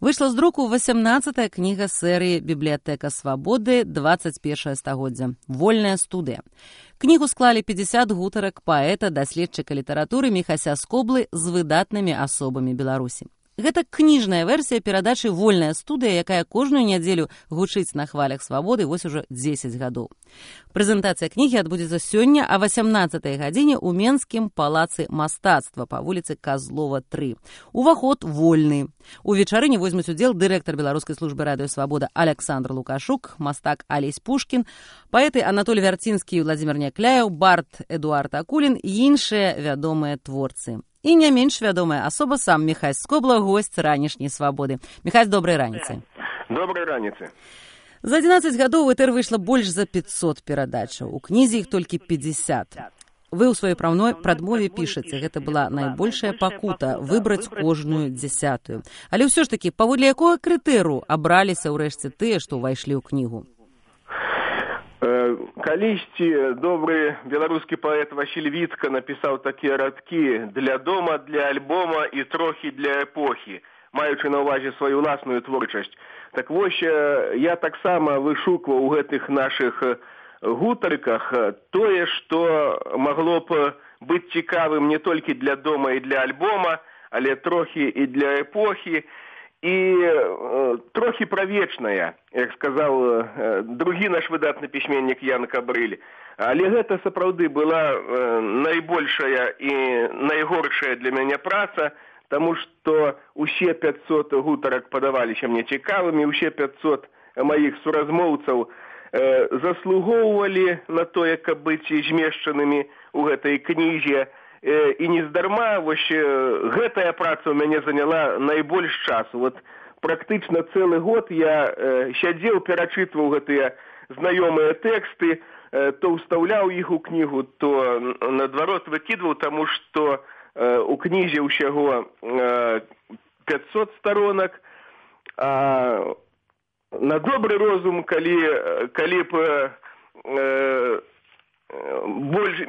Выйшла з друку 18-я кніга серыі «Бібліятэка свабоды. 21 стагоддзя. Вольная студыя». Кнігу склалі 50 гутарак паэта, даследчыка літаратуры Міхася Скоблы з выдатнымі асобамі Беларусі. Гэта кніжная версія перадачы «Вольная студыя», якая кожную нядзелю гучыць на хвалях свабоды вось ужо 10 гадоў. Прэзентацыя кнігі адбудзецца сёння а 18-й гадзіне ў Менскім палацы мастацтва па вуліцы Казлова 3. Уваход вольны. У вечарыне возьмуць удзел дырэктар Беларускай службы радыё «Свабода» Аляксандр Лукашук, мастак Алесь Пушкін, паэты Анатолій Вярцінскі і Владзімір Някляеў, бард Эдуард Акулін і іншыя вядомыя творцы. І не менш вядомая асоба сам Міхась Скобла, госць ранішняй свабоды. Міхась, добрай раніцы. Добрай раніцы. За 11 гадоў ў этэр выйшла больш за 500 перадачаў. У кнізе іх толькі 50. Вы ў сваёй прадмове пішаце, гэта была найбольшая пакута выбраць кожную 10-ю. Але ўсё ж такі, паводле якога крытэрыю абраліся ўрэшце тыя, што ўвайшлі ў кнігу? Калісьці добры беларускі паэт Васіль Віцка напісаў такія радкі «Для дома, для альбома і трохі для эпохі», маючы на ўвазе сваю ўласную творчасць. Так вось, я таксама вышукваў у гэтых нашых гутарках тое, што магло б быць цікавым не толькі для дома і для альбома, але трохі і для эпохі, і трохі правечная, як сказаў другі наш выдатны пісьменнік Ян Кабрыль. Але гэта сапраўды была найбольшая і найгоршая для мяне праца, таму што усе 500 гутарак падаваліся мне цікавымі, усе 500 маіх суразмоўцаў заслугоўвалі на тое, каб быць змешчанымі ў гэтай кнізе. І нездарма, вось гэтая праца ў мяне заняла найбольш часу. Вот практычна цэлы год я сядзеў, перачытваў гэтыя знаёмыя тэксты, то ўстаўляў іх у кнігу, то наадварот выкідваў, таму што у кнізе ўсяго 500 сторонак, а на добры розум, калі б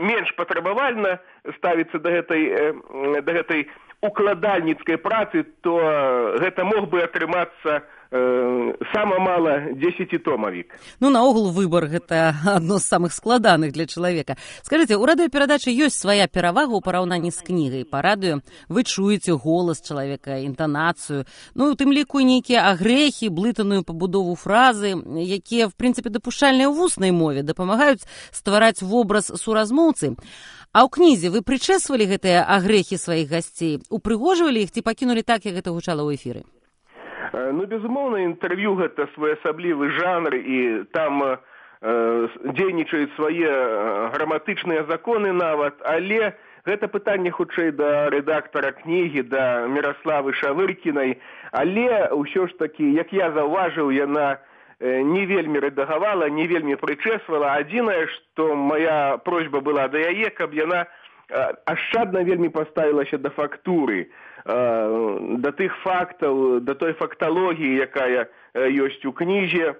менш патрабавальна ставіцца да гэтай укладальніцкай працы, то гэта мог бы атрымацца сама мала 10-томавік. Ну, наогул выбар гэта адно з самых складаных для чалавека. Скажыце, у радыёперадачы ёсць свая перавага ў параўнанні з кнігай. Па радыё вы чуеце голас чалавека, інтанацыю, ну, у тым ліку нейкія агрэхі, блытаную пабудову фразы, якія, в прынцыпе, дапушчальныя ў вуснай мове, дапамагаюць ствараць вобраз суразмоўцы. А ў кнізе вы прычэсвалі гэтыя агрэхі сваіх гасцей, упрыгожвалі іх ці пакінулі так, як гэта гучала ў эфіры? Ну, безумоўна, інтэрв'ю гэта своеасаблівы жанр, і там дзейнічаюць свае граматычныя законы нават, але гэта пытанне хутчэй да рэдактара кнігі, да Міраславы Шавыркінай, але ўсё ж такі, як я заўважыў, яна не вельмі рэдагавала, не вельмі прычэсвала. Адзінае, што моя просьба была да яе, каб яна ашчадна вельмі паставілася да фактуры, да тых фактаў, да той факталогіі, якая ёсць у кнізе,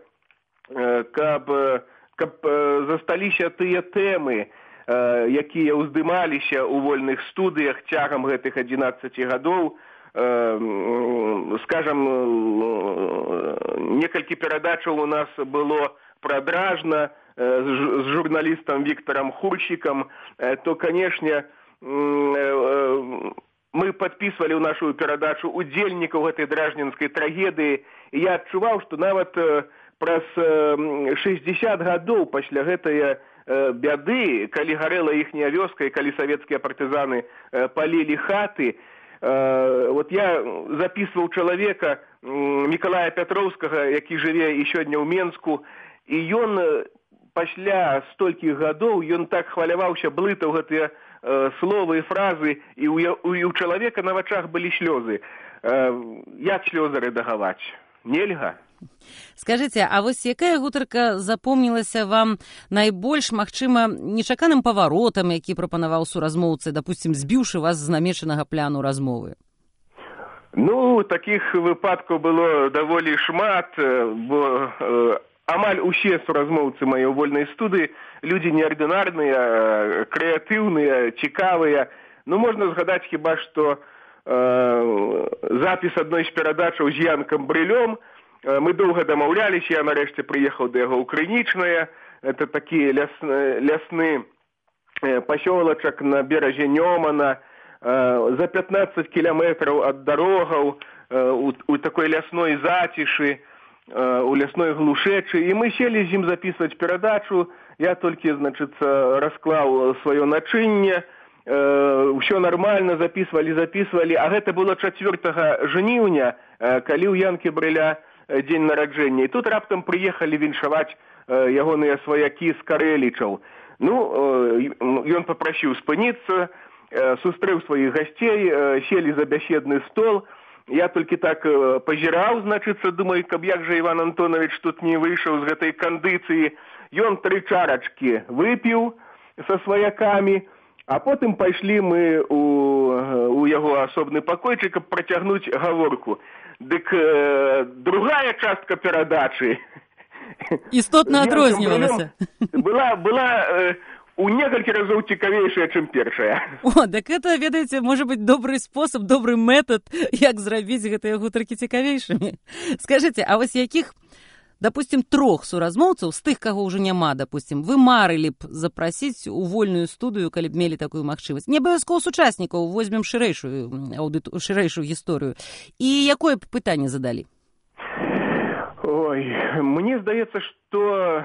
каб засталіся тыя тэмы, якія ўздымаліся ў вольных студыях цягам гэтых 11 гадоў. Скажам, некалькі перадачаў у нас было пра Дражна з журналістам Віктарам Хурчикам, то, канешне, мы падпісвалі ў нашу перадачу удзельнікаў гэтай дражнінскай трагедыі, і я адчуваў, што нават праз 60 гадоў пасля гэтай бяды, калі гарэла іхняя вёска і калі савецкія партызаны палілі хаты, вот я запісваў чалавека Мікалая Пятроўскага, які жыве і сёння ў Менску, і ён пасля столькіх гадоў, ён так хваляваўся, блытаў гэтыя словы і фразы, і у чалавека на вачах былі слёзы. Як слёзы рэдагаваць? Нельга. Скажыце, а вось якая гутарка запомнілася вам найбольш, магчыма, нечаканым паваротам, які прапанаваў суразмоўцы, дапусцім, збіўшы вас з намечанага пляну размовы? Ну, такіх выпадкаў было даволі шмат, бо амаль усе суразмоўцы мае ў вольнай студыі людзі неардынарныя, крэатыўныя, цікавыя. Ну, можна згадаць хіба што запіс адной з перадачаў з Янкам Брылём. Мы доўга дамаўляліся, я нарэшце прыехаў да яго ў Крынічнае. Это такі лясны пасёлачак на беразе Нёмана, за 15 кіламетраў ад дарогаў, у такой лясной зацішы, у лясной глушэчы. І мы селі з ім запісваць перадачу. Я толькі, расклаў сваё начынне. Усё нармальна, запісвалі. А гэта было 4 жніўня, калі ў Янкі Брыля дзень нараджэння. І тут раптам прыехалі віншаваць ягоныя сваякі з Карэлічаў. Ён папрасіў спыніцца, сустрэў сваіх гасцей, селі за бяседны стол. Я толькі так пазіраў, думаю, каб як жа Іван Антонович тут не выйшаў з гэтай кандыцыі. Ён 3 чарачкі выпіў са сваякамі, а потым пайшлі мы у яго асобны пакойчык, каб працягнуць гаворку. Дык другая частка перадачы істотна адрознівалася. Была у некалькі разоў цікавейшая, чым першая. Так это, ведаеце, можа быць добры спосаб, добры метад, як зрабіць гэтыя гутаркі цікавейшымі. Скажыце, а вось якіх, допустим, 3 суразмоўцаў, з тых, каго ўжо няма, допустим, вы марылі б запрасіць у вольную студыю, калі б мелі такую магчымасць? Не абавязкова сучаснікаў, возьмем шырэйшую гісторыю. І якое б пытанне задалі? Ой, мне здаецца, што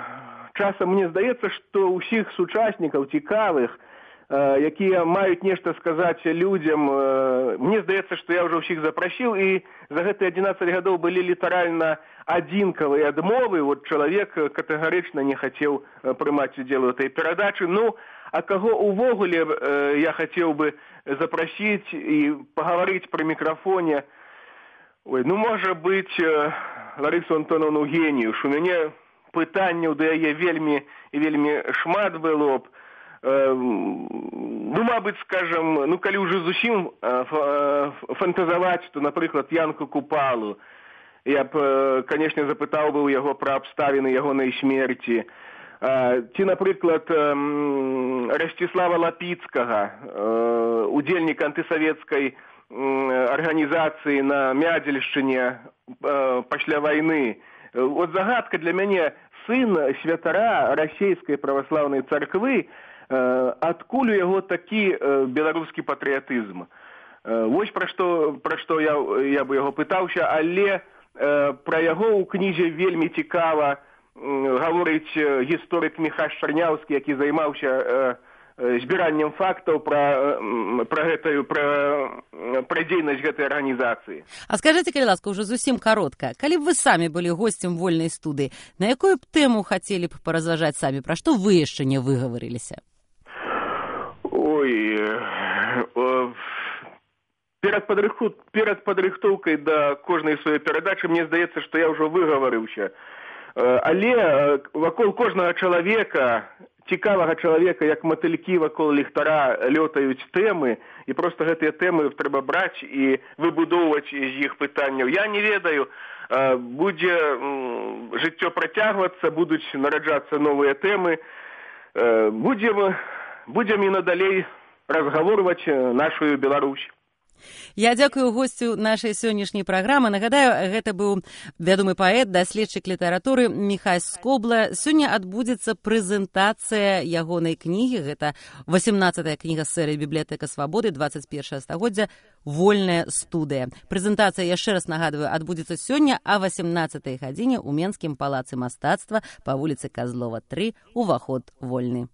ўсіх сучаснікаў цікавых, якія маюць нешта сказаць людзям, мне здаецца, што я ўжо ўсіх запрасіў, і за гэтыя 11 гадоў былі літаральна адзінкавыя адмовы. Чалавек катэгарычна не хацеў прымаць удзел у этой перадачы. А каго увогуле я хацеў бы запрасіць і пагаварыць пры мікрафоне? Можа быць, Ларысу Антоновну Геніюш. У мяне пытанняў да яе вельмі шмат было б. Мабыць, скажам, калі ўжо зусім фантазаваць, то, напрыклад, Янку Купалу. Я б, канешне, запытаў бы ў яго пра абставіны ягонай смерці. Ці, напрыклад, Расціслава Лапіцкага, удзельніка антысавецкай арганізацыі на Мядзельшчыне пасля вайны. Загадка для мяне, сын святара расійскай праваслаўнай царквы, адкуль у яго такі беларускі патрыятызм. Вось пра што я бы яго пытаўся, але пра яго ў кнізе вельмі цікава гаворыць гісторык Міхась Чарняўскі, які займаўся збіраннем фактаў пра дзейнасць гэтай арганізацыі. А скажыце, калі ласка, ўжо зусім каротка, калі б вы самі былі госцем вольнай студыі, на якую б тэму хацелі б паразважаць самі, пра што вы яшчэ не выгаварыліся? Перад падрыхтоўкай да кожнай сваёй перадачы мне здаецца, што я ўжо выгаварыўся. Але вакол кожнага чалавека, цікавага чалавека, як матылькі вакол ліхтара, лётаюць тэмы, і проста гэтыя тэмы трэба браць і выбудоўваць з іх пытанняў. Я не ведаю, будзе жыццё працягвацца, будуць нараджацца новыя тэмы. Будзем і надалей разгаворваць нашу Беларусь. Я дзякую госцю нашай сённяшняй праграмы. Нагадаю, гэта быў вядомы паэт, даследчык літаратуры Міхась Скобла. Сёння адбудзецца прэзентацыя ягонай кнігі. Гэта 18-я кніга з серыі «Бібліятэка свабоды», 21 стагоддзя, «Вольная студыя». Прэзентацыя, яшчэ раз нагадваю, адбудзецца сёння а 18-й гадзіне ў Менскім палацы мастацтва па вуліцы Казлова 3, уваход вольны.